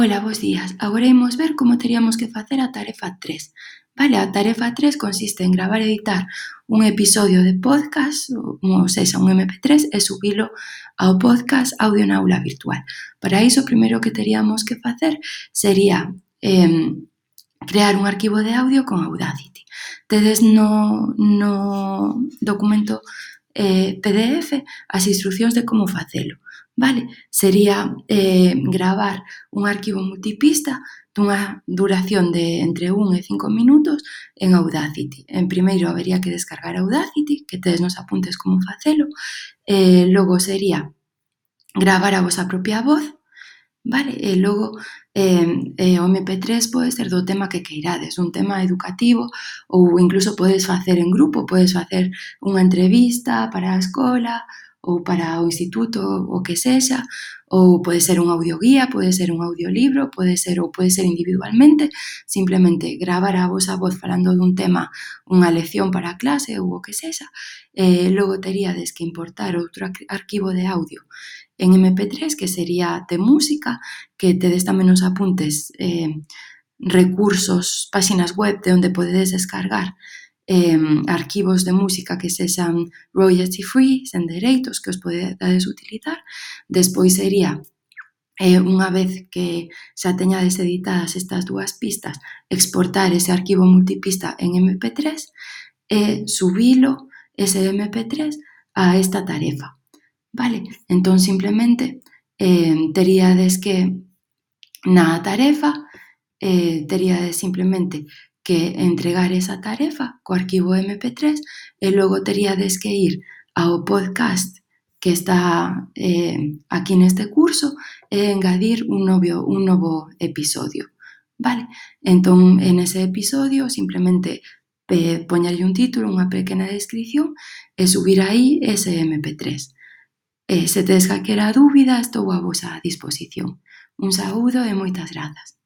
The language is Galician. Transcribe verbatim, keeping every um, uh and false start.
Ola, bos días. Agora imos ver como teríamos que facer a tarefa tres. Vale, a tarefa tres consiste en gravar e editar un episodio de podcast, ou sexa, un eme pe tres, e subilo ao podcast Audio na Aula Virtual. Para iso, o primeiro que teríamos que facer sería eh, crear un arquivo de audio con Audacity. Tedes no, no documento eh, pe de efe as instruccións de como facelo. Vale, sería eh, gravar un arquivo multipista dunha duración de entre un e cinco minutos en Audacity. En primeiro habería que descargar Audacity, que tedes nos apuntes como facelo, e logo sería gravar a vosa propia voz, vale, e logo eh, eh, o eme pe tres pode ser do tema que queirades, un tema educativo ou incluso podes facer en grupo, podes facer unha entrevista para a escola ou para o instituto, o que sexa, ou pode ser un audioguía, pode ser un audiolibro, pode ser ou pode ser individualmente, simplemente gravar a vosa voz falando dun tema, unha lección para a clase ou o que sexa, e logo teríades que importar outro arquivo de audio en eme pe tres, que sería de música, que tedes tamén nos apuntes eh, recursos, páxinas web de onde podedes descargar eh, arquivos de música que sexan royalty free, sen dereitos, que os podades utilizar. Despois sería, eh, unha vez que xa teñades editadas estas dúas pistas, exportar ese arquivo multipista en eme pe tres e subilo, ese eme pe tres, a esta tarefa. Vale, entón simplemente eh, teríades que na tarefa eh, teríades simplemente que entregar esa tarefa co arquivo eme pe tres e logo teríades que ir ao podcast que está eh, aquí neste curso e engadir un novo, un novo episodio. Vale, entón en ese episodio simplemente eh, poñerlle un título, unha pequena descripción e subir aí ese eme pe tres. E se tedes calquera dúbida, estou a vosa disposición. Un saúdo e moitas grazas.